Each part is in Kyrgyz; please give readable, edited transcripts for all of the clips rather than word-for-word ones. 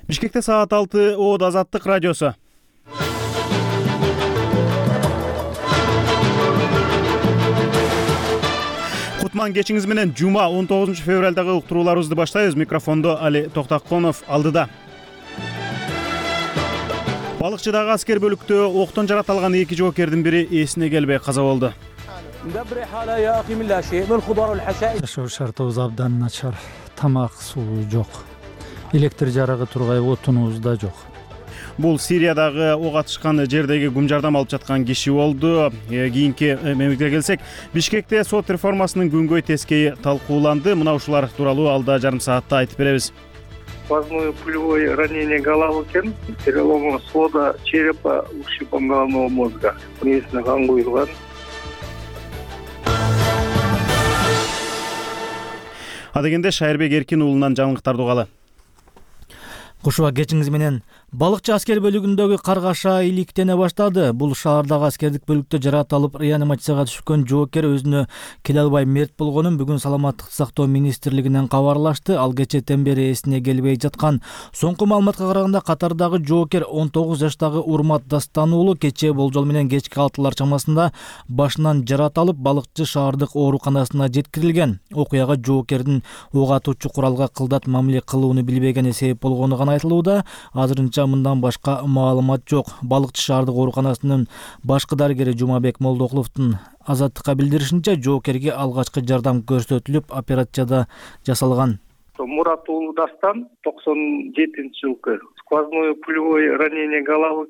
Бишкекте саат 6 Оот Азаттык радиосу. Кутман кечиңиз менен жума 19 февралдагы уктурууларыбызды баштайбыз. Микрофондо Али Токтаконов алдыда. Балыкчыдагы аскер бөлүктө октон жаратылган 2 жоокердин бири эсине келбей каза болду. Жашоо шартыбыз абдан начар. Тамак, суу жок. Электр жарыгы тургай, отунубуз да жок. Бул Сириядагы ок атышкан жердеги гум жардам алып жаткан киши болду. Кийинки мемлекетке келсек, Бишкекте сот реформасынын күнгөй тескейи талкууланды. Мына ушулар тууралуу алда жарым саатта айтып беребиз. Сквозное пулевое ранение головы, перелом свода черепа, ушибом головного мозга. Несине кан куюлган. Адегенде Шайырбек Эркин уулунан жаңылыктарды угалы. Кушуба кечиңиз менен балыкчы аскер бөлүгүндөгү каргаша иликтене баштады. Бул шаардагы аскердик бөлүктө жаратылып реанимацияга түшкөн жоокер өзүнө келе албай мерт болгонун бүгүн Саламаттыкты сактоо министрлигинен кабарлашты. Ал кечээден бери эсине келбей жаткан. Соңку маалыматка караганда катардагы жоокер 19 жаштагы Урмат Дастан уулу кечээ болжол менен кечки 6 чамасында башынан жаратылып балыкчы шаардык ооруканасына жеткирилген. Окуяга жоокердин ок атуучу куралга кылдат мамиле кылууну билбегени себеп болгону гана айтылууда. Азырынча мындан башка маалымат жок. Балыкчы шаардык ооруканасынын башкы дарыгери Жумабек Молдокуловдун Азаттыкка билдиришинче, жоокерге алгачкы жардам көрсөтүлүп, операция жасалган. Мурат уулу Дастан 97-жылкы сквозное пулевое ранение головы,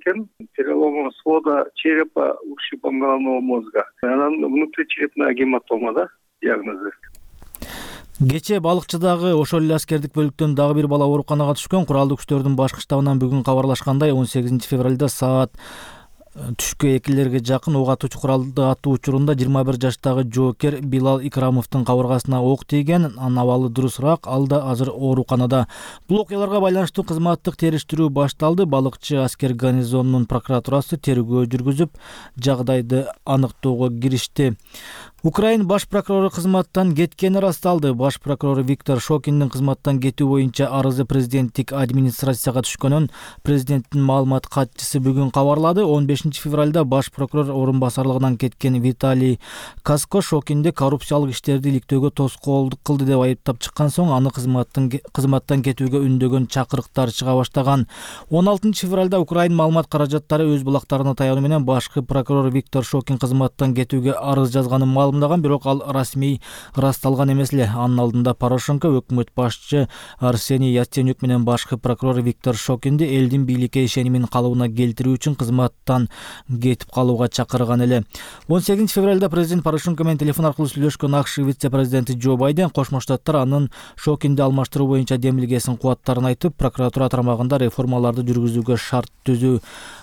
перелом свода черепа, ушибом головного мозга. Анан внутричерепная гематома, диагнозу. Кечээ балыкчыдагы ошол эле аскердик бөлүктөн дагы бир бала ооруканага түшкөн. Куралдык күчтөрдүн башкы штабынан бүгүн кабарлашкандай, 18 февралда саат түшкө 2-лерге жакын ок атуучу куралды атуу учурунда 21 жаштагы жоокер Билал Икрамовдун кабыргасына ок тийген. Анын абалы дурусураак, ал да азыр ооруканада. Бул окуяларга байланыштуу кызматтык териштирүү башталды. Балыкчы аскер гарнизонунун прокуратурасы тергөө жүргүзүп, жагдайды аныктоого киришти. Украин баш прокурору кызматтан кеткени расталды. Баш прокурор Виктор Шокиндин кызматтан кетүү боюнча арызы президенттик администрацияга түшкөнүн президенттин маалымат катчысы бүгүн кабарлады. 15 февралда баш прокурор орун басарлыгынан кеткен Виталий Каско Шокинди коррупциялык иштерди иликтөөгө тоскоолдук кылды деп айыптап чыккан соң аны кызматтан кетүүгө үндөгөн чакырыктар чыга баштаган. 16 февралда Украин маалымат каражаттары өз булактарына таянуу менен башкы прокурор Виктор Шокин кызматтан кетүүгө арыз жазганын бирок ал расмий расталган эмес эле. Анын алдында Порошенко, өкмөт башчы Арсений Яценюк менен башкы прокурор Виктор Шокинди элдин бийликке ишенимин калыбына келтирүү үчүн кызматтан кетип калууга чакырган эле. 18 февралда президент Порошенко менен телефон аркылуу сүйлөшкөн АКШ вице-президенти Джо Байден Кошмо Штаттар анын Шокинди алмаштыруу боюнча демилгесин кубаттарын айтып, прокуратура тармагында реформаларды жүргүзүүгө шарт түзүү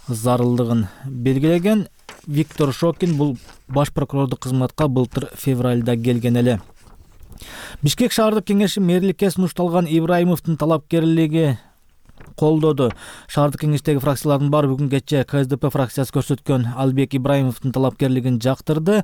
зарылдыгын белгилеген. Виктор Шокин бул баш прокурордук кызматка былтыр февралда келген эле. Бишкек шаардык кеңеши мэрликке сунушталган Ибраимовдун талапкерлиги колдоду. Шаардык кеңештеги фракциялардын баары бүгүн кечээ КСДП фракциясы көрсөткөн Албек Ибраимовдун талапкерлигин жактырды.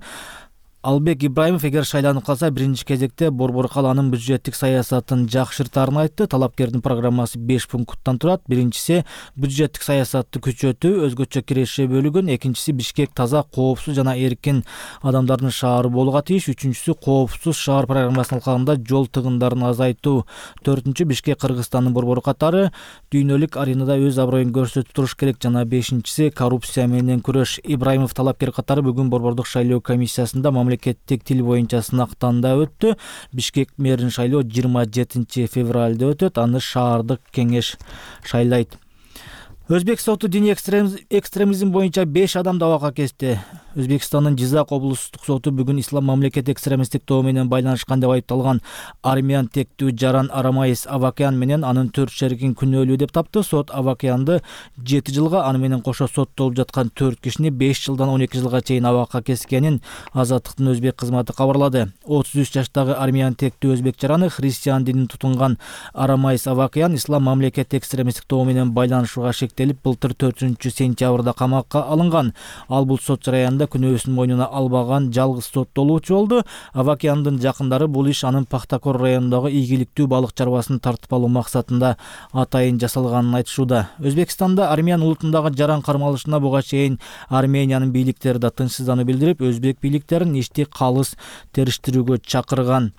Албек Ибраимов эгер шайланып калса, биринчи кезекте Борбор калаанын бюджеттик саясатын жакшыртаарын айтты. Талапкердин программасы 5 пункттан турат. Биринчиси бюджеттик саясатты күчөтүү, өзгөчө киреше бөлүгүн. Экинчиси Бишкек таза, коопсуз жана эркин адамдардын шаары болууга тийиш. Үчүнчүсү коопсуз шаар программасынын алкагында жол тыгындарын азайтуу. Төртүнчү Бишкек Кыргызстандын борбору катары дүйнөлүк аренада өз аброюн көрсөтүп туруш керек. Жана бешинчиси коррупция менен күрөш. Ибраимов талапкер катары бүгүн борбордук шайлоо комиссиясында мамлекеттик тил боюнча сынактан да өттү. Бишкек мэрин шайлоо 27 февралда өтөт. Аны шаардык кеңеш шайлайт. Өзбек соты диний экстремизм боюнча 5 адамды абакка кести. Өзбекстандын Жизак облустук соту бүгүн ислам мамлекети экстремисттик тобу менен байланышкан деп айыпталган армян тектүү Жаран Арамаис Авакян менен анын 4 шеригин күнөөлүү деп тапты. Сот Авакянды 7 жылга, аны менен кошо соттолуп жаткан 4 кишини 5 жылдан 12 жылга чейин абакка кескенин Азаттыктын өзбек кызматы кабарлады. 33 жаштагы армян тектүү өзбек жараны христиан динин тутунган Арамаис Авакян ислам мамлекети экстремисттик тобу менен байланышууга шектелип, былтыр 4-сентябрда камакка алынган. Ал бул сот жараянда күнөөсүн мойнуна албаган жалгыз соттолуучу болду. Авакяндын жакындары бул иш анын Пахтакор районундагы ийгиликтүү балык чарбасын тартып алуу максатында атайын жасалганын айтышууда. Өзбекстанда армян улутундагы жаран кармалышына буга чейин Армениянын бийликтери да тынчсыздануу билдирип, өзбек бийликтерин ишти калыс териштирүүгө чакырган.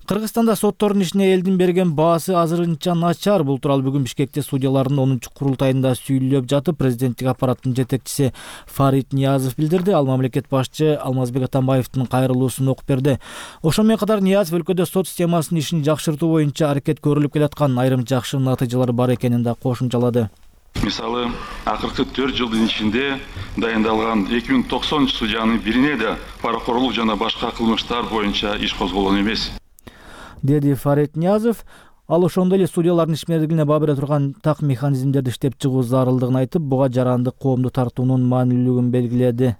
Кыргызстанда соттордун ишине элдин берген баасы азырынча начар. Бул тууралуу бүгүн Бишкекте судьялардын 10-курултайында сүйлөп жатып, президенттик аппараттын жетекчиси Фарид Ниязов билдирди. Ал мамлекет башчы Алмазбек Атамбаевдин кайрылуусун окуп берди. Ошол менен катар Ниязов өлкөдө сот системасынын ишин жакшыртуу боюнча аракет көрүлүп келаткан айрым жакшы натыйжалар бар экенин да кошумчалады. Мисалы, акыркы 4 жылдын ичинде дайындалган 2090 судьянын бирине да паракорлук жана башка кылмыштар боюнча иш козголгон эмес, деди Фарид Ниязов. Ал ошондой эле судьялардын ишмердигине баа бере турган так механизмдерди иштеп чыгуу зарылдыгын айтып, буга жарандык коомду тартуунун маанилүүлүгүн белгиледи.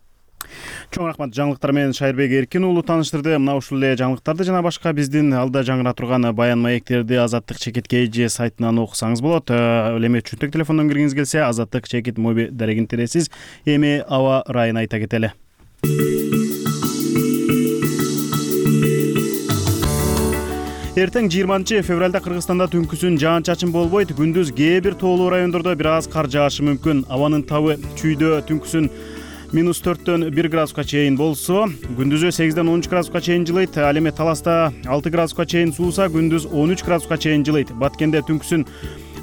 Чоң рахмат. Жаңылыктар менен Шайырбек Эркин уулу тааныштырды. Мына ушул эле жаңылыктарды жана башка биздин алда жаңыра турган баян маектерди Азаттык чекит KG сайтынан окусаңыз болот. Ал эми чөнтөк телефондон киргиңиз келсе, Азаттык чекит моби дарегин тересиз. Эми аба ырайын айта кетели. Эртең 20 февралда Кыргызстанда түнкүсүн жаан-чачын болбойт. Күндүз кээ бир тоолуу райондордо бир аз кар жаашы мүмкүн. Абанын табы чүйдө түнкүсүн -4-төн 1 градуска чейин болсо, күндүзү 8-ден 13 градуска чейин жылыйт. Ал эми Таласта 6 градуска чейин сууса, күндүз 13 градуска чейин жылыйт. Баткенде түнкүсүн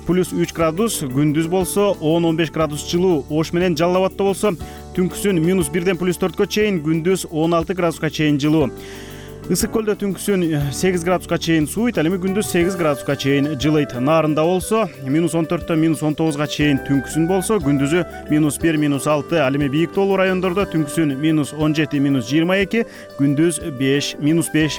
+3 градус, күндүз болсо 10-15 градус жылуу. Ош менен Жалал Абадта болсо, түнкүсүн -1-ден +4кө чейин, күндүз 16 градуска чейин жылуу. Ысык көлдө түнкүсүн 8 градуска чейин сууйт, ал эми күндүз 8 градуска чейин жылыйт. Нарында болсо, -14-төн -19га чейин түнкүсүн болсо, күндүзү -1, -6, ал эми бийик тоолуу райондордо түнкүсүн -17, -22, күндүз -5,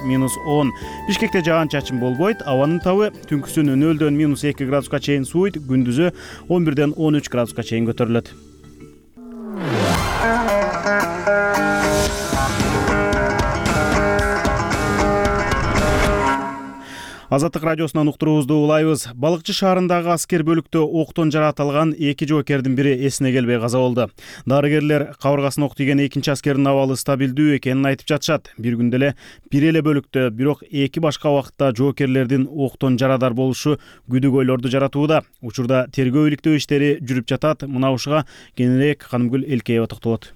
-10. Бишкекте жаан-чачын болбойт. Абанын табы түнкүсүн 0-дөн -2 градуска чейин сууйт, күндүзү 11-ден 13 градуска чейин көтөрүлөт. Азаттык радиосунан уктуруубузду улайбыз. Балыкчы шаарындагы аскер бөлүктө октон жаракат 2 жоокердин бири эсине келбей каза болду. Дарыгерлер кабыргасына ок тийген экинчи аскердин абалы стабилдүү экенин айтып жатышат. Бир күндө эле бир эле бөлүктө, бирок 2 башка убакытта жоокерлердин октон жарадар болушу күдүгөйлөрдү жаратууда. Учурда тергөө иликтөө иштери жүрүп жатат. Мына ушуга кененирээк Канымгүл Элкеева токтолот.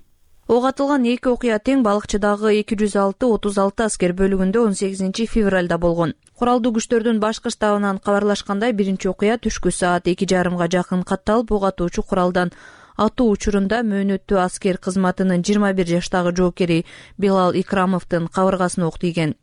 Ок атылган 2 окуя тең балыкчыдагы 206-36 аскер бөлүгүндө 18 февралда болгон. Куралдуу күчтөрдүн башкы штабынан кабарлашкандай, биринчи окуя түшкү саат 2:30 жакын катталып, ок атуучу куралдан атуу учурунда мөөнөттүү аскер кызматынын 21 жаштагы жоокери Билал Икрамовдун кабыргасына ок тийген.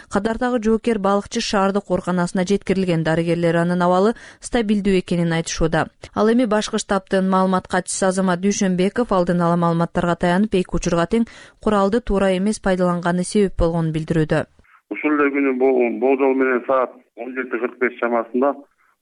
Кадардагы жоокер балыкчы шаардык ооруканасына жеткирилген. Дарыгерлер анын абалы стабилдүү экенин айтышууда. Ал эми башкы штабтын маалымат катчысы Азамат Дүйшөнбеков алдын ала маалыматтарга таянып, 2 учурга тең куралды туура эмес пайдаланганы себеп болгонун билдирүүдө. Ушул эле күнү болжол менен саат 17:45 чамасында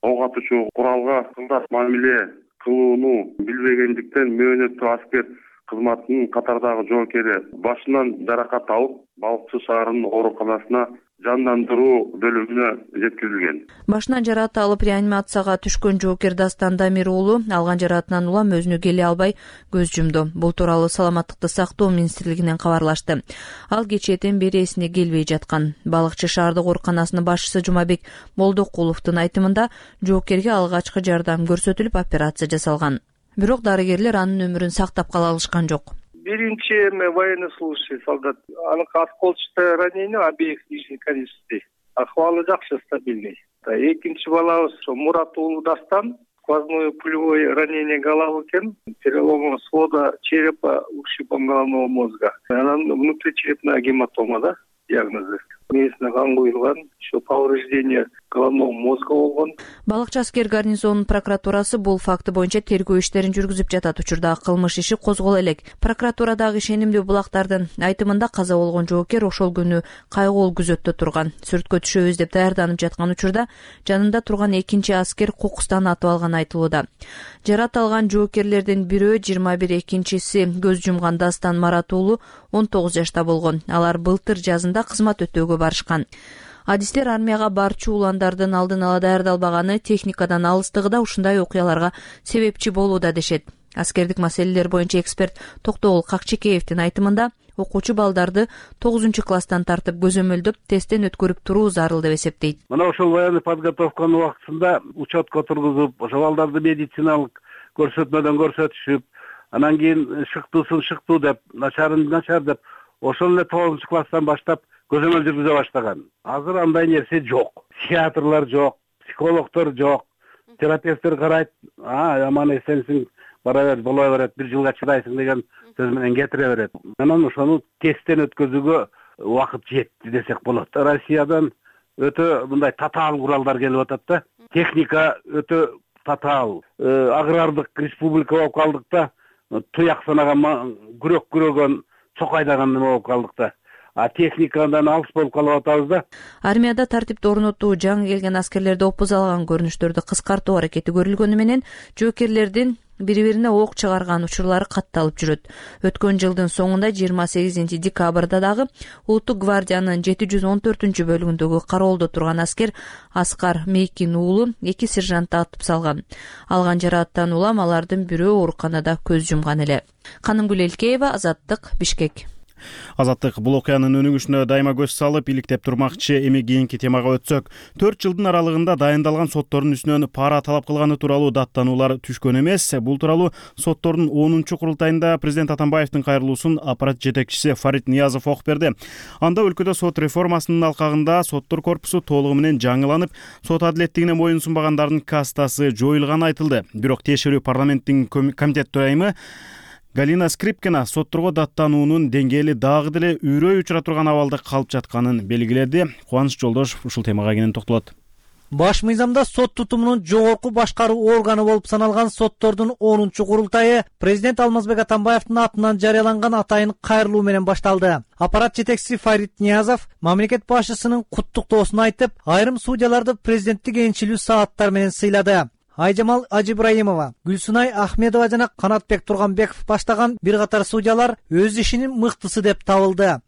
ок атуучу куралга кылдат мамиле кылууну билбегендиктен мөөнөттүү аскер кызматынын катардагы жоокери башынан жаракат алып, Балыкчы шаарынын ооруканасына жандандыруу бөлүмүнө жеткирилген. Башынан жаракат алып реанимацияга түшкөн жоокер Дастан Дамир уулу алган жаракатынан улам өзүнө келе албай көз жумду. Бул тууралуу Саламаттыкты сактоо министрлигинен кабарлашты. Ал кечээден бери эсине келбей жаткан. Балыкчы шаардык ооруканасынын башчысы Жумабек Молдокуловдун айтымында, жоокерге алгачкы жардам көрсөтүлүп, операция жасалган. Бирок дарыгерлер анын өмүрүн сактап кала алышкан жок. Биринчи военнослужащий солдат, аныкы осколочное ранение обеих нижних конечностей. Ахвалы жакшы, стабильный. Экинчи балабыз Мурат уулу Дастан, сквозное пулевое ранение головы экен, перелом свода черепа, ушибом головного мозга. Анан внутричерепная гематома, да, диагнозы. Местно кан куюлган, еще повреждение головного мозга болгон. Балыкчы аскер гарнизонунун прокуратурасы бул факты боюнча тергөө иштерин жүргүзүп жатат. Учурда кылмыш иши козголо элек. Прокуратурадагы ишенимдүү булактардын айтымында каза болгон жоокер ошол күнү кайгылуу күзөттө турган. Сүрөткө түшөбүз деп даярданып жаткан учурда жанында турган экинчи аскер кокустан атып алганы айтылууда. Жаракат алган жоокерлердин бирөө 21, экинчиси көз жумган Дастан Марат уулу 19 жашта болгон. Алар былтыр жазында кызмат өтөөгө барышкан. Адистер армияга барчу уландардын алдын ала даярдалбаганы, техникадан алыстыгы да ушундай окуяларга себепчи болууда дешет. Аскердик маселелер боюнча эксперт Токтогул Какчекеевдин айтымында окуучу балдарды 9-класстан тартып көзөмөлдөп тесттен өткөрүп туруу зарыл деп эсептейт. Мына ошол военный подготовканын убактысында учетко тургузуп, ошол балдарды медициналык көрсөтмөдөн көрсөтүшүп, анан кийин шыктуу деп, начар деп, ошол эле 9-класстан баштап көзөмөл жүргүзө баштаган. Азыр андай нерсе жок. Психиатрлар жок, психологдор жок, терапевттер карайт, аман эсенсиң, бара бер, боло берет, 1 жылга чыдайсың деген сөз менен кетире берет. Анан ошону тесттен өткөзүүгө убакыт жетти десек болот. Россиядан өтө мындай татаал куралдар келип атат да. Техника өтө татаал. Агрардык республика болуп калдык да. Туяк санаган, күрөк күрөгөн, чокайдаган неме болуп калдык да. Техникадан алыс болуп калып атабыз да. Армияда тартипти орнотуу, жаңы келген аскерлерди опуз алган көрүнүштөрдү кыскартуу аракети көрүлгөнү менен жоокерлердин бири-бирине ок чыгарган учурлары катталып жүрөт. Өткөн жылдын соңунда 28 декабрда дагы Улуттук гвардиянын 714 бөлүгүндөгү кароолдо турган аскер Аскар Мейкин уулу 2 сержантты атып салган. Алган жарааттан улам алардын бирөө ооруканада көз жумган эле. Канымгүл Элкеева, Азаттык, Бишкек. Азаттык бул окуянын өнүгүшүнө дайыма көз салып, иликтеп турмакчы. Эми кийинки темага өтсөк, 4 жылдын аралыгында дайындалган соттордун үстүнөн пара талап кылганы тууралуу даттануулар түшкөн эмес. Бул тууралуу соттордун 10-курултайында президент Атамбаевдин кайрылуусун аппарат жетекчиси Фарид Ниязов окуп берди. Анда өлкөдө сот реформасынын алкагында соттор корпусу толугу менен жаңыланып, сот адилеттигине моюн сунбагандардын кастасы жоюлганы айтылды. Бирок тиешелүү парламенттин комитет төрайымы Галина Скрипкина сотторго даттануунун деңгээли дагы деле үйрөй учура турган абалда калып жатканын белгиледи. Кубаныч Жолдошов ушул темага кенен токтолот. Баш мыйзамда сот тутумунун жогорку башкаруу органы болуп саналган соттордун 10-курултайы президент Алмазбек Атамбаевдин атынан жарыяланган атайын кайрылуу менен башталды. Аппарат жетекчиси Фарид Ниязов мамлекет башчысынын куттуктоосун айтып, айрым судьяларды президенттик энчилүү сааттар менен сыйлады. Айжамал Ажибраимова, Гүлсунай Ахмедова жана Канатбек Турганбеков баштаган бир катар судьялар өз ишинин мыктысы деп табылды.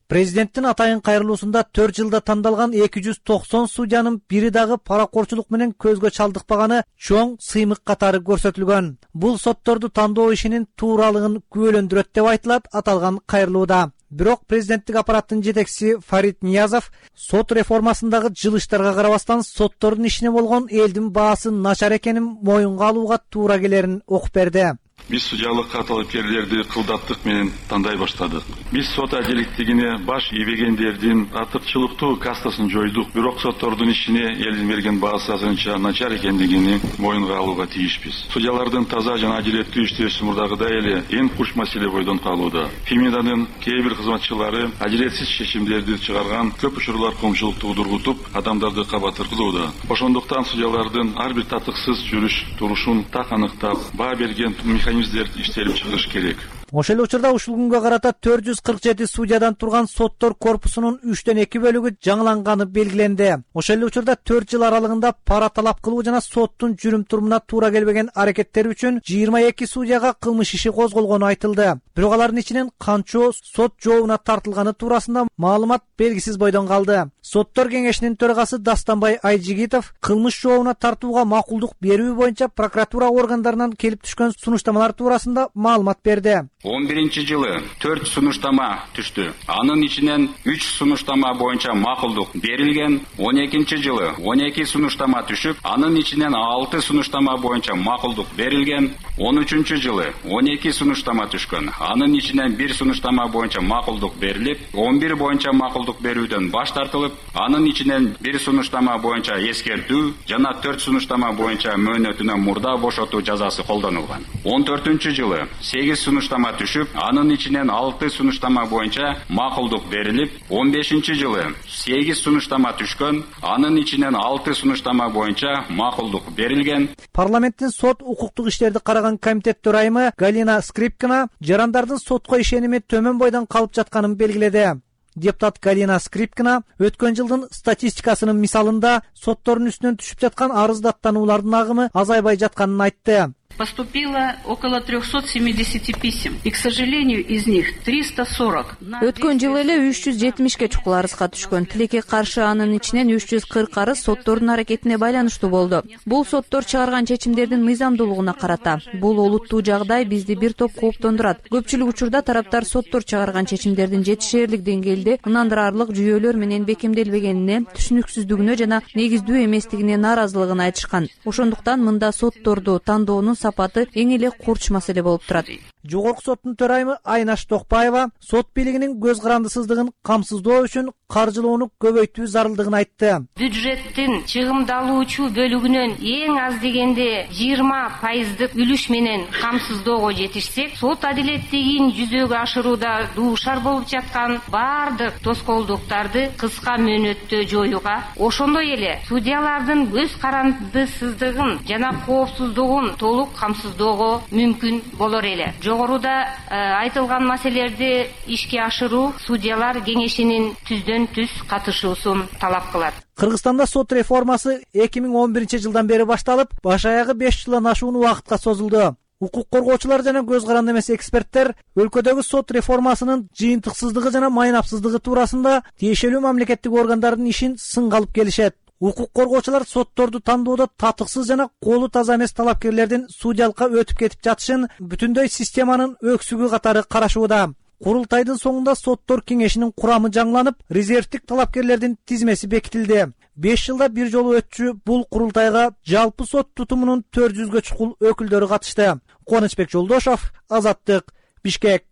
Президенттин атайын кайрылуусунда 4 жылда тандалган 290 судьянын бири дагы паракорчулук менен көзгө чалдыкпаганы чоң сыймык катары көрсөтүлгөн. Бул сотторду тандоо ишинин тууралыгын күбөлөндүрөт деп айтылат аталган кайрылууда. Бирок президенттик аппараттын жетекчиси Фарид Ниязов сот реформасындагы жылыштарга карабастан соттордун ишине болгон элдин баасы начар экенин моюнга алууга туура келерин окуп берди. Биз судьялыкка талапкерлерди кылдаттык менен тандай баштадык. Биз сот адилеттигине баш ийбегендердин артыкчылыктуу кастасын жойдук. Бирок соттордун ишине элдин берген баасы азырынча начар экендигини моюнга алууга тийишпиз. Судьялардын таза жана адилеттүү иштөөсү мурдагыдай эле эң куч маселе бойдон калууда. Фемиданын кээ бир кызматчылары адилетсиз чечимдерди чыгарган, көп учурлар коомчулукту удургутуп, адамдарды кабатыр кылууда. Ошондуктан судьялардын ар бир татыксыз жүрүш турушун так аныктап, баа берген механизмдер иштелип чыгыш керек. Ошол эле учурда ушул күнгө карата 447 судьядан турган соттор корпусунун 3/2 бөлүгү жаңыланганы белгиленди. Ошол эле учурда 4 жыл аралыгында пара талап кылуу жана соттун жүрүм-турумуна туура келбеген аракеттери үчүн 22 судьяга кылмыш иши козголгону айтылды. Бирок алардын ичинен канчоо сот жообуна тартылганы туурасында маалымат белгисиз бойдон калды. Соттор кеңешинин төрагасы Дастанбай Айжигитов кылмыш жообуна тартууга макулдук берүү боюнча прокуратура органдарынан келип түшкөн сунуштамалар туурасында маалымат берди. 11-жылы 4 сунуштама түштү. Анын ичинен 3 сунуштама боюнча макулдук берилген. 12-жылы 12 сунуштама түшүп, анын ичинен 6 сунуштама боюнча макулдук берилген. 13-жылы 12 сунуштама түшкөн. Анын ичинен 1 сунуштама боюнча макулдук берилип, 11 боюнча макулдук берүүдөн баш тартылып, анын ичинен 1 сунуштама боюнча эскертүү жана 4 сунуштама боюнча мөөнөтүнөн мурда бошотуу жазасы колдонулган. 14-жылы 8 сунуштама түшүп, анын ичинен 6 сунуштама боюнча макулдук берилип, 15-жылы 8 сунуштама түшкөн, анын ичинен 6 сунуштама боюнча макулдук берилген. Парламенттин сот укуктук иштерди караган комитет төрайымы Галина Скрипкина жарандардын сотко ишеними төмөн бойдон калып жатканын белгиледи. Депутат Галина Скрипкина өткөн жылдын статистикасынын мисалында соттордун үстүнөн түшүп жаткан арыз даттануулардын агымы азайбай жатканын айтты. поступило около 370 писем, и, к сожалению, из них 340. Өткөн жылы эле 370 чукул арызга түшкөн. Тилекке каршы анын ичинен 340 арыз соттордун аракетине байланыштуу болду. Бул соттор чыгарган чечимдердин мыйзамдуулугуна карата. Бул олуттуу жагдай бизди бир топ кооптондурат. Көпчүлүк учурда тараптар соттор чыгарган чечимдердин жетишээрлик деңгээлде ынандырарлык жүйөлөр менен бекемделбегенине, түшүнүксүздүгүнө жана негиздүү эместигине нааразылыгын айтышкан. Ошондуктан мында сотторду тандоонун сапаты эң эле курч маселе болуп турат. Жогорку соттун төрайымы Айнаш Токпаева сот бийлигинин көз карандысыздыгын камсыздоо үчүн каржылоону көбөйтүү зарылдыгын айтты. Бюджеттин чыгымдалуучу бөлүгүнөн эң аз дегенде 20% үлүш менен камсыздоого жетишсек, сот адилеттигин жүзөгө ашырууда дуушар болуп жаткан бардык тоскоолдуктарды кыска мөөнөттө жоюуга, ошондой эле судьялардын көз карандысыздыгын жана коопсуздугун толук камсыздоого мүмкүн болор эле. Жогоруда айтылган маселелерди ишке ашыруу судьялар кеңешинин түздөн-түз катышуусун талап кылат. Кыргызстанда сот реформасы 2011-жылдан бери башталып, баш аягы 5 жылдан ашуун убакытка созулду. Укук коргоочулар жана көз каранды эмес эксперттер өлкөдөгү сот реформасынын жыйынтыксыздыгы жана майнапсыздыгы туурасында тиешелүү мамлекеттик органдардын ишин сынга алып келишет. Укук коргоочулар сотторду тандоодо татыксыз жана колу таза эмес талапкерлердин судьялыкка өтүп кетип жатышын бүтүндөй системанын өксүгү катары карашууда. Курултайдын соңунда соттор кеңешинин курамы жаңыланып, резервдик талапкерлердин тизмеси бекитилди. 5 жылда бир жолу өтчү бул курултайга жалпы сот тутумунун 400гө чукул өкүлдөрү катышты. Кубанычбек Жолдошов, Азаттык, Бишкек.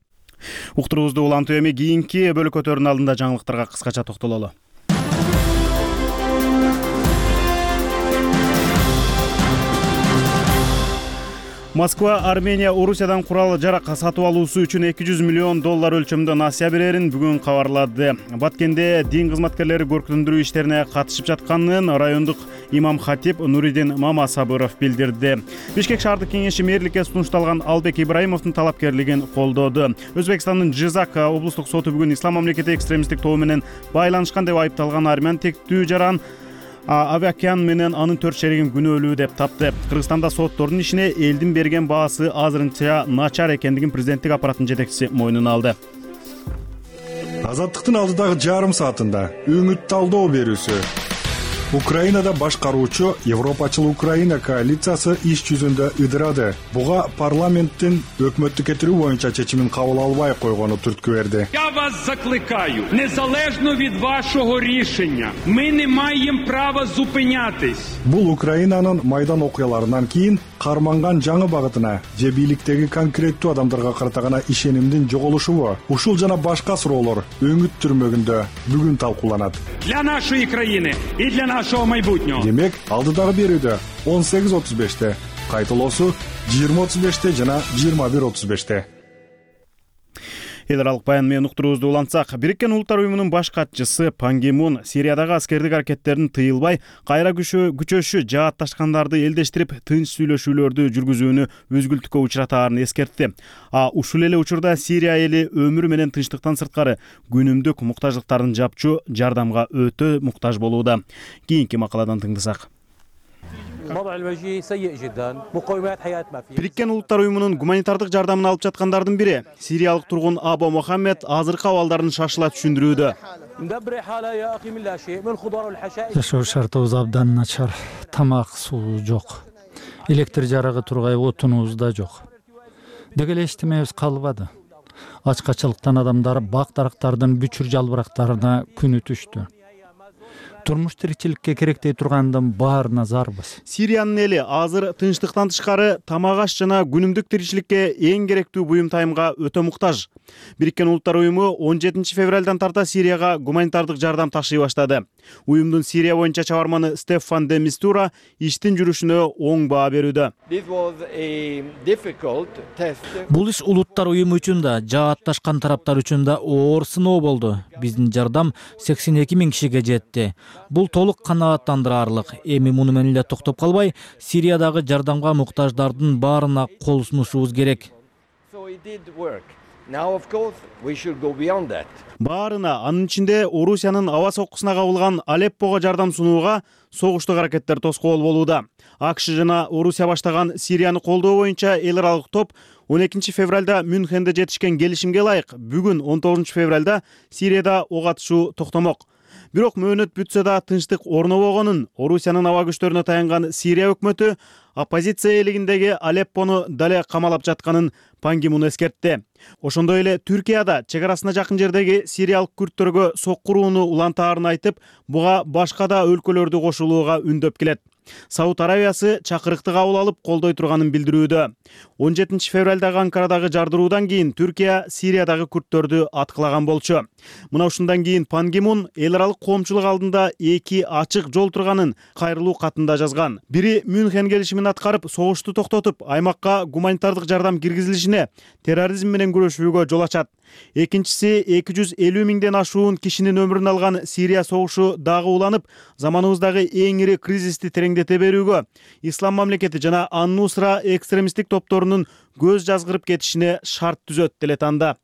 Уктуруубузду улантуу эми кийинки бөлүкөтөрдүн алдында жаңылыктарга кыскача токтололу. Москва Армения Орусиядан курал-жарак сатып алуусу үчүн $200 миллион өлчөмдө насыя берерин бүгүн кабарлады. Баткенде дин кызматкерлери көркүтүндүрүү иштерине катышып жатканын райондук имам хатип Нуридин Мамасабыров билдирди. Бишкек шаардык кеңеши мэрликке сунушталган Албек Ибраимовдун талапкерлигин колдоду. Өзбекстандын Жизак облустук соту бүгүн ислам мамлекети экстремисттик тобу менен байланышкан деп айыпталган армян тектүү жаран Авакян менен анын 4 шеригин күнөөлүү деп тапты. Кыргызстанда соттордун ишине элдин берген баасы азырынча начар экендигин президенттик аппараттын жетекчиси мойнуна алды. Азаттыктын алдыдагы жарым саатында үмүт талдоо берүүсү. Украинада башкаруучу Европачыл Украина коалициясы иш жүзүндө ыдырады. Буга парламенттин өкмөттү кетирүү боюнча чечимин кабыл албай койгону түрткү берди. Я вас закликаю, незалежно від вашого рішення, ми не маємо права зупинятись. Бул Украинанын майдан окуяларынан кийин карманган жаңы багытына же бийликтеги конкреттүү адамдарга карата гана ишенимдин жоголушубу, ушул жана башка суроолор өңүт түрмөгүндө бүгүн талкууланат. Для нашої країни і для нашого майбутнього. Демек, алдыдагы берүүдө 18:35-те, кайталоосу 20:35-те жана 21:35-те. Эл аралык баян менен уктуруубузду улантсак, Бириккен Улуттар уюмунун баш катчысы Пан Ги Мун Сириядагы аскердик аракеттерин тыйылбай, кайра күчөшү жаатташкандарды элдештирип, тынч сүйлөшүүлөрдү жүргүзүүнү өзгүлтүккө учуратаарын эскертти. Ушул эле учурда Сирия эли өмүрү менен тынчтыктан сырткары күнүмдүк муктаждыктарын жапчу жардамга өтө муктаж болууда. Кийинки макаладан тыңдасак. Бириккен Улуттар уюмунун гуманитардык жардамын алып жаткандардын бири сириялык тургун Або Мохаммед азыркы абалдарын шашыла түшүндүрүүдө. Жашоо шартыбыз абдан начар. Тамак, суу жок. Электр жарыгы тургай, отунубуз да жок. Деги эле эчтемебиз калбады. Ачкачылыктан адамдар бак-дарактардын бүчүр жалбырактарына күнү түштү. Турмуш тиричиликке керектей тургандын баарына зарбыз. Сириянын эли азыр тынчтыктан тышкары тамак аш жана күнүмдүк тиричиликке эң керектүү буюм тайымга өтө муктаж. Бириккен Улуттар уюму 17 февралдан тарта Сирияга гуманитардык жардам ташый баштады. Уюмдун Сирия боюнча чабарманы Стефан де Мистура иштин жүрүшүнө оң баа берүүдө. Бул иш Улуттар уюму үчүн да, жаатташкан тараптар үчүн да оор сыноо болду. Биздин жардам 82 000 кишиге жетти. Бул толук канааттандырарлык. Эми муну менен эле токтоп калбай, Сириядагы жардамга муктаждардын баарына кол сунушубуз керек. Баарына, анын ичинде Орусиянын аба соккусуна кабылган Алеппого жардам сунууга согуштук аракеттер тоскоол болууда. АКШ жана Орусия баштаган Сирияны колдоо боюнча эл аралык топ 12 февралда Мюнхенде жетишкен келишимге ылайык бүгүн 19 февралда Сирияда ок атышуу токтомок. Бирок мөөнөт бүтсө да тынчтык орнобогонун Орусиянын аба күчтөрүнө таянган Сирия өкмөтү оппозиция ээлегиндеги Алеппону дале камалап жатканын Пан Ги Мун эскертти. Ошондой эле Түркияда чек арасына жакын жердеги сириялык күрттөргө соккурууну улантаарын айтып, буга башка да өлкөлөрдү кошулууга үндөп келет. Сауд Арабиясы чакырыкты кабыл алып колдой турганын билдирүүдө. 17 февралдагы Анкарадагы жардыруудан кийин Түркия Сириядагы күрттөрдү аткылаган болчу. Мына ушундан кийин Пан Ги Мун эл аралык коомчулук алдында эки ачык жол турганын кайрылуу катында жазган. Бири Мюнхен келишимин аткарып, согушту токтотуп, аймакка гуманитардык жардам киргизилишине, терроризм менен күрөшүүгө жол ачат. Экинчиси 250 миңден ашуун кишинин өмүрүн алган Сирия согушу дагы уланып, заманыбыздагы эң ири кризисти тереңдете берүүгө, Ислам мамлекети жана Ан-Нусра экстремисттик топторунун көз жазгырып кетишине шарт түзөт делет анда.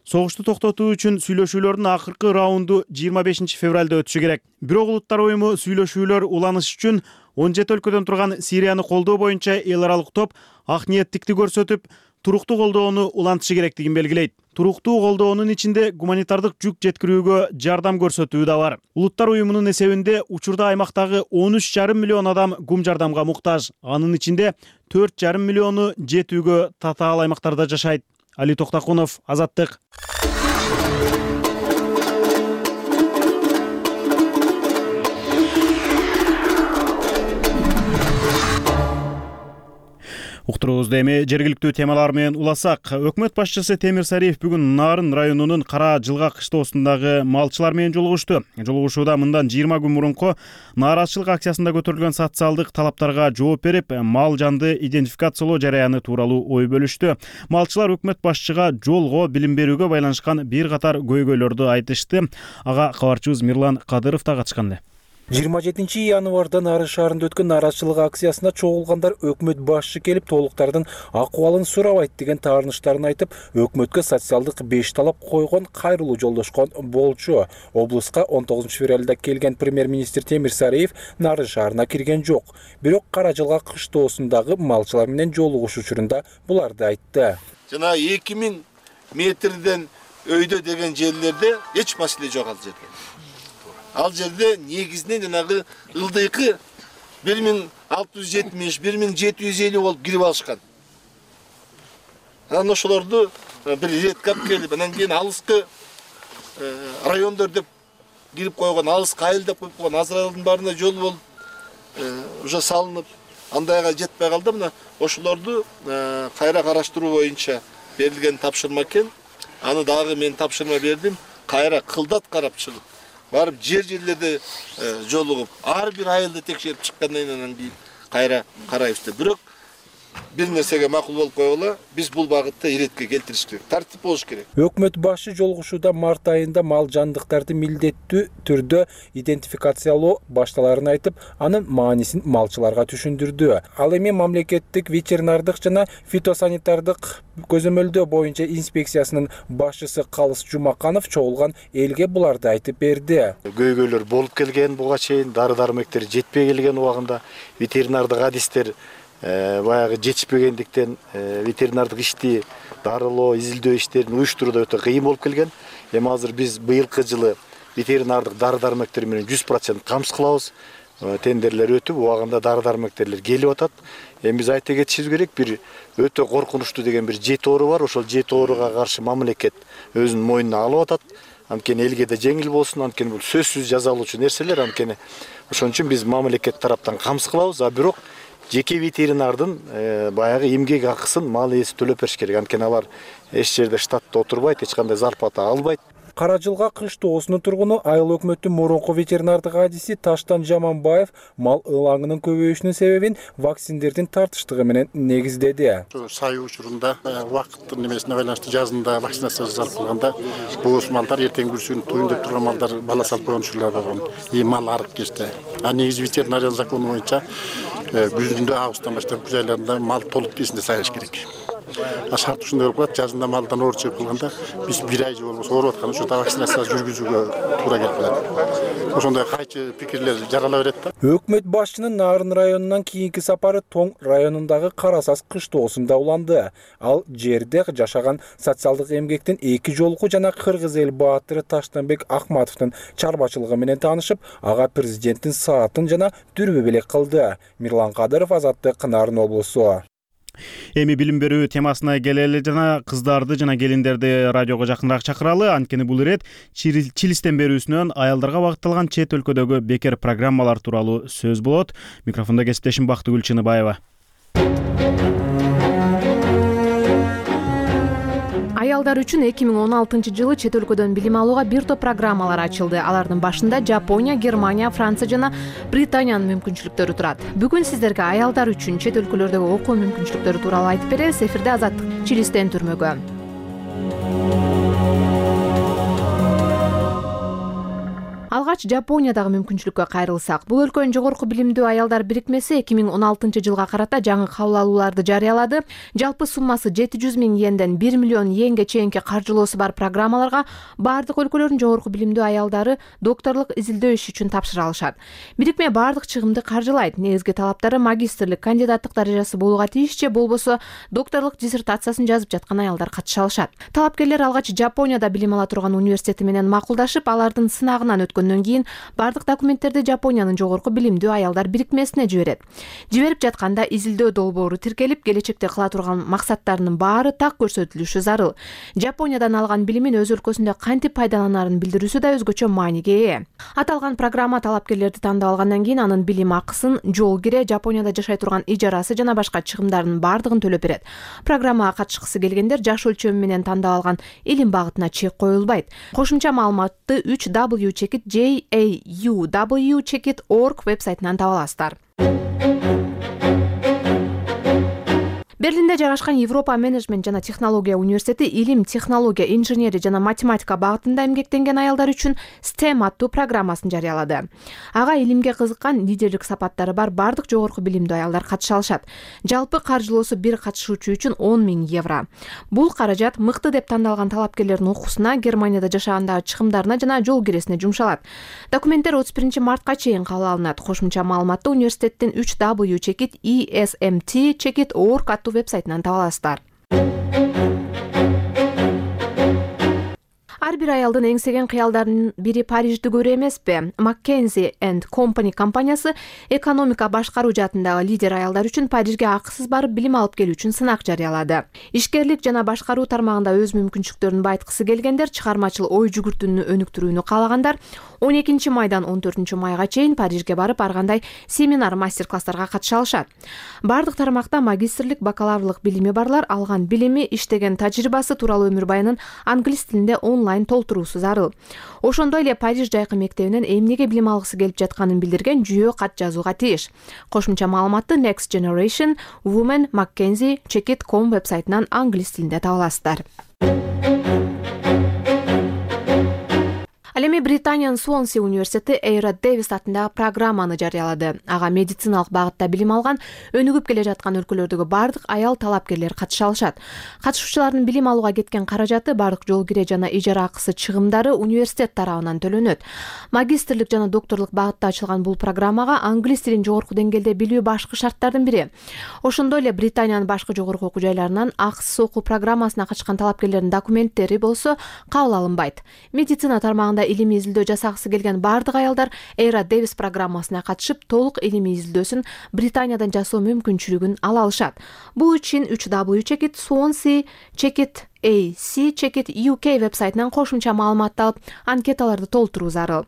Согушту токтотуу үчүн сүйлөшүүлөрдүн акыркы раунду 25 февралда өтүшү керек. Бирок Улуттар уюму сүйлөшүүлөр уланыш үчүн 17 өлкөдөн турган Сирияны колдоо боюнча эл аралык топ ак ниеттикти көрсөтүп, туруктуу колдоону улантышы керектигин белгилейт. Туруктуу колдоонун ичинде гуманитардык жүк жеткирүүгө жардам көрсөтүү да бар. Улуттар уюмунун эсебинде учурда аймактагы 13,5 миллион адам гум жардамга муктаж. Анын ичинде 4,5 миллиону жетүүгө татаал аймактарда жашайт. Али Токтакунов, Азаттык. Уктуруубузду эми жергиликтүү темалар менен уласак. Өкмөт башчысы Темир Сариев бүгүн Нарын районунун Кара Жылгак кыштоосундагы малчылар менен жолугушту. Жолугушууда мындан 20 күн мурунку нааразычылык акциясында көтөрүлгөн социалдык талаптарга жооп берип, мал жанды идентификациялоо жараяны тууралуу ой бөлүштү. Малчылар өкмөт башчыга жолго билим берүүгө байланышкан бир катар көйгөйлөрдү айтышты. Ага кабарчыбыз Мирлан Кадыров да катышкан. 27 январда Нарын шаарында өткөн нааразычылык акциясына чогулгандар өкмөт башчы келип толуктардын акыбалын сурабайт деген таарынычтарын айтып, өкмөткө социалдык 5 талап койгон, кайрылуу жолдошкон болчу. Облуска 19 февралда келген премьер-министр Темир Сариев Нарын шаарына кирген жок. Бирок Кара Жылгак кыштоосундагы малчылар менен жолугуш учурунда буларды айтты. Жана 2000 метрден өйдө деген жерлерде эч маселе жок ал жерде. Ал жерде негизинен жанагы ылдыйкы 1670, 1750 болуп кирип алышкан. Анан ошолорду бир редкап келип, анан кийин алыскы райондор деп кирип койгон, алыскы айыл деп коюп койгон, азыр айылдын баарына жол болуп уже салынып, андайга жетпей калды. Мына ошолорду кайра караштыруу боюнча берилген тапшырма экен. Аны дагы мен тапшырма бердим. Кайра кылдат карап чыгып, барып жерлерде жолугуп, ар бир айылды текшерип чыккандан кийин кайра карайбыз деп. Бирок бир нерсеге макул болуп койгула, биз бул багытта иретке келтириш керек, тартип болуш керек. Өкмөт башы жолугушууда март айында мал жандыктарды милдеттүү түрдө идентификациялоо башталарын айтып, анын маанисин малчыларга түшүндүрдү. Ал эми мамлекеттик ветеринардык жана фитосанитардык көзөмөлдөө боюнча инспекциясынын башчысы Калыс Жумаканов чогулган элге буларды айтып берди. Көйгөйлөр болуп келген, буга чейин дары-дармектер жетпей келген убагында ветеринардык адистер баягы жетишпегендиктен ветеринардык ишти, дарылоо, изилдөө иштерин уюштурууда өтө кыйын болуп келген. Эми азыр биз быйылкы жылы ветеринардык дары-дармектер менен 100% камсыз кылабыз. Тендерлер өтүп, убагында дары-дармектерлер келип атат. Эми биз айта кетишибиз керек, бир өтө коркунучтуу деген бир жети оору бар. Ошол жети ооруга каршы мамлекет өзүнүн мойнуна алып атат. Анткени элге да жеңил болсун, анткени бул сөзсүз жазалуучу нерселер, анткени ошон үчүн биз мамлекет тараптан камсыз кылабыз. А бирок жеке ветеринардын баягы эмгек акысын мал ээси төлөп бериш керек. Анткени алар эч жерде штатта отурбайт, эч кандай зарплата албайт. Кара Жылгак кыштоосунун тургуну айыл өкмөттүн мурунку ветеринардык адиси Таштан Жаманбаев мал ылаңынын көбөйүшүнүн себебин вакциндердин тартыштыгы менен негиздеди. Сайуу учурунда убакыттын немесине байланыштуу жазында вакцинация жасалып калганда бул малдар эртең бүрсүн туюн деп турган малдар бала салып койгон учурлар болгон. Мал арып кетти. А негизи ветеринария закону боюнча күзүндө августтан баштап күз айларында мал толук тиесинде сайыш керек. шарт ушундай болуп калат. Жазында малдан оор чыгып калганда биз 1 ай же болбосо ооруп атканда ошо вакцинация жүргүзүүгө туура келип калат. Ошондой кайчы пикирлер жарала берет да. Өкмөт башчынын Нарын районунан кийинки сапары Тоң районундагы Карасаз кыштоосунда уланды. Ал жерде жашаган социалдык эмгектин эки жолку жана кыргыз эл баатыры Таштанбек Акматовдун чарбачылыгы менен таанышып, ага президенттин саатын жана дүрбө белек кылды. Мирлан Кадыров, Азаттык, Нарын облусу. Эми билим берүү темасына келели жана кыздарды жана келиндерди радиого жакыныраак чакыралы. Анткени бул ирет Чилистен берүүсүнөн аялдарга багытталган чет өлкөдөгү бекер программалар тууралуу сөз болот. Микрофондо кесиптешим Бактыгүл Чыныбаева. Аялдар үчүн 2016-жылы чет өлкөдөн билим алууга бир топ программалар ачылды. Алардын башында Жапония, Германия, Франция жана Британиянын мүмкүнчүлүктөрү турат. Бүгүн сиздерге аялдар үчүн чет өлкөлөрдөгү окуу мүмкүнчүлүктөрү тууралуу айтып беребиз. Эфирде Азаттык, Чилистен түрмөгө. Алгач Жапониядагы мүмкүнчүлүккө кайрылсак, бул өлкөнүн жогорку билимдүү аялдар бирикмеси 2016-жылга карата жаңы кабыл алууларды жарыялады. Жалпы суммасы 700 000 йенден 1 миллион йенге чейинки каржылоосу бар программаларга бардык өлкөлөрдүн жогорку билимдүү аялдары докторлук изилдөө иши үчүн тапшыра алышат. Бирикме бардык чыгымды каржылайт. Негизги талаптары магистрлик, кандидаттык даражасы болууга тийиш же болбосо докторлук диссертациясын жазып жаткан аялдар катыша алышат. Талапкерлер алгач Жапонияда билим ала турган университети менен макулдашып, алардын сынагынан өткөндөн кийин бардык документтерди Жапониянын жогорку билимдүү аялдар бирикмесине жиберет. Жиберип жатканда изилдөө долбоору тиркелип, келечекте кыла турган максаттарынын баары так көрсөтүлүшү зарыл. Жапониядан алган билимин өз өлкөсүндө кантип пайдаланарын билдирүүсү да өзгөчө мааниге ээ. Аталган программа талапкерлерди тандап алгандан кийин анын билим акысын, жол кире, Жапонияда жашай турган ижарасы жана башка чыгымдардын бардыгын төлөп берет. Программага катышкысы келгендер жаш өлчөмү менен тандап алган илим багытына чек коюлбайт. Кошумча маалыматты 3w.jauw.org вебсайтынан таба аласыздар. Берлинде жайгашкан Европа менеджмент жана технология университети илим, технология, инженери жана математика багытында эмгектенген аялдар үчүн STEM аттуу программасын жарыялады. Ага илимге кызыккан, лидерлик сапаттары бар бардык жогорку билимдүү аялдар катыша алышат. Жалпы каржылоосу бир катышуучу үчүн 10 000 евро. Бул каражат мыкты деп тандалган талапкерлердин окуусуна, Германияда жашагандагы чыгымдарына жана жол киресине жумшалат. Документтер 31 мартка чейин кабыл алынат. Кошумча маалыматты университеттин 3w.esmt.org аттуу вебсайтынан таба аласыздар. Ар бир аялдын эңсеген кыялдарынын бири Парижди көрүү эмеспи? McKinsey & Company компаниясы экономика башкаруу жаатындагы лидер аялдар үчүн Парижге акысыз барып билим алып келүү үчүн сынак жарыялады. Ишкерлик жана башкаруу тармагында өз мүмкүнчүлүктөрүн байыткысы келгендер, чыгармачыл ой жүгүртүүнү өнүктүрүүнү каалагандар 12 майдан 14 майга чейин Парижге барып ар кандай семинар, мастер-класстарга катыша алышат. Бардык тармакта магистрлик, бакалаврлык билими барлар алган билими, иштеген тажрыйбасы тууралуу өмүр баянын англис тилинде онлайн толтуруусу зарыл. Ошондой эле Париж жайкы мектебинен эмнеге билим алгысы келип жатканын билдирген жүйө кат жазууга тийиш. Кошумча маалыматты Next Generation Women McKinsey Check.com вебсайтынан англис тилинде таба аласыздар. Ал эми Британиянын Суонси университети Эйра Дэвис атындагы программаны жарыялады. Ага медициналык багытта билим алган, өнүгүп келе жаткан өлкөлөрдөгү бардык аял талапкерлер катыша алышат. Катышуучулардын билим алууга кеткен каражаты, бардык жол кире жана ижара акысы, чыгымдары университет тарабынан төлөнөт. Магистрлик жана докторлук багытта ачылган бул программага англис тилин жогорку деңгээлде билүү башкы шарттардын бири. Ошондой эле Британиянын башкы жогорку окуу жайларынан акысыз окуу программасына катышкан талапкерлердин документтери болсо кабыл алынбайт. Медицина тармагында илимий изилдөө жасагысы келген бардык аялдар Эйра Дэвис программасына катышып, толук илимий изилдөөсүн Британиядан жасоо мүмкүнчүлүгүн ала алышат. Бул үчүн www.swansea.ac.uk вебсайтынан кошумча маалыматты алып, анкеталарды толтуруу зарыл.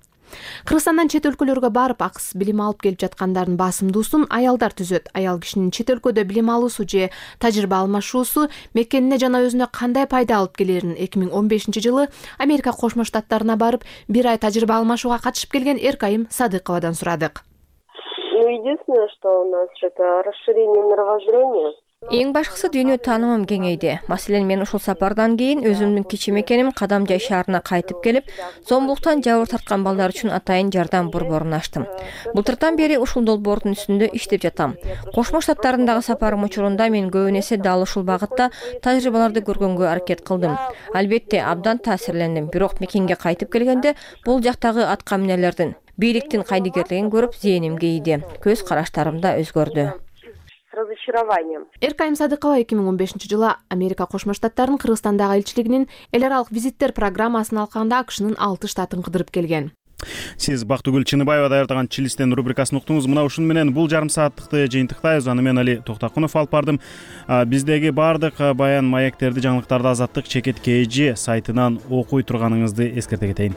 Кыргызстандан чет өлкөлөргө барып акысыз билим алып келип жаткандардын басымдуусун аялдар түзөт. Аял кишинин чет өлкөдө билим алуусу же тажрыйба алмашуусу мекенине жана өзүнө кандай пайда алып келерин 2015-жылы Америка Кошмо Штаттарына барып, бир ай тажрыйба алмашууга катышып келген Эркайым Садыковадан сурадык. Единственное, что у нас это расширение мировоззрения. Эң башкысы дүйнө таанымым кеңейди. Маселен, мен ушул сапардан кийин өзүмдүн кичи мекеним Кадамжай шаарына кайтып келип, зомбулуктан жабыр тарткан балдар үчүн атайын жардам борборун ачтым. Былтыртан бери ушул долбоордун үстүндө иштеп жатам. Кошмо Штаттарындагы сапарым учурунда мен көбүн эсе дал ушул багытта тажрыйбаларды көргөнгө аракет кылдым. Албетте, абдан таасирлендим. Бирок мекенге кайтып келгенде бул жактагы атка минерлердин, бийликтин кайдыгерлигин көрүп, зээним кейиди. Көз караштарым да өзгөрдү. Эркайым Садыкова 2015-жылы Америка Кошмо Штаттарынын Кыргызстандагы элчилигинин эл аралык визиттер программасын алканда АКШнын 6 штатын кыдырып келген. Сиз Бактыгүл Чыныбаева даярдаган Чилистен рубрикасын уктуңуз. Мына ушун менен бул жарым сааттыкты жыйынтыктайбыз. Аны мен Али Токтакунов алып бардым. Биздеги баардык баян маектерди, жаңылыктарды Азаттык /KG сайтынан окуй турганыңызды эскерте кетейин.